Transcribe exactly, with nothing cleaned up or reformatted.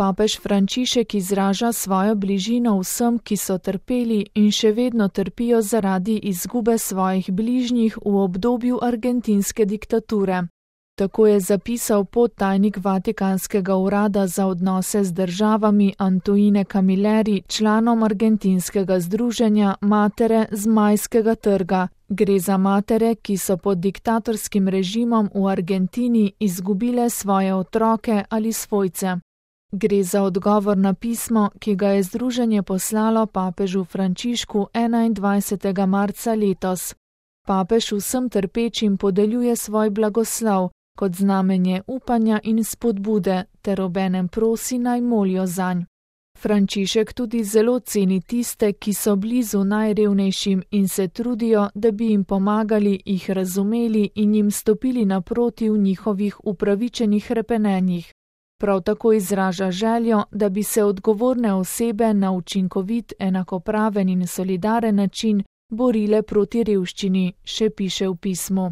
Papež Frančišek izraža svojo bližino vsem, ki so trpeli in še vedno trpijo zaradi izgube svojih bližnjih v obdobju argentinske diktature. Tako je zapisal podtajnik Vatikanskega urada za odnose z državami Antoine Camilleri članom argentinskega združenja Matere z Majskega trga. Gre za matere, ki so pod diktatorskim režimom v Argentini izgubile svoje otroke ali svojce. Gre za odgovor na pismo, ki ga je združenje poslalo papežu Frančišku enaindvajsetega marca letos. Papež vsem trpečim podeljuje svoj blagoslov kot znamenje upanja in spodbude ter obenem prosi naj molijo zanj. Frančišek tudi zelo ceni tiste, ki so blizu najrevnejšim in se trudijo, da bi jim pomagali, jih razumeli in jim stopili naproti v njihovih upravičenih hrepenenjih. Prav tako izraža željo, da bi se odgovorne osebe na učinkovit, enakopraven in solidaren način borile proti revščini, še piše v pismu.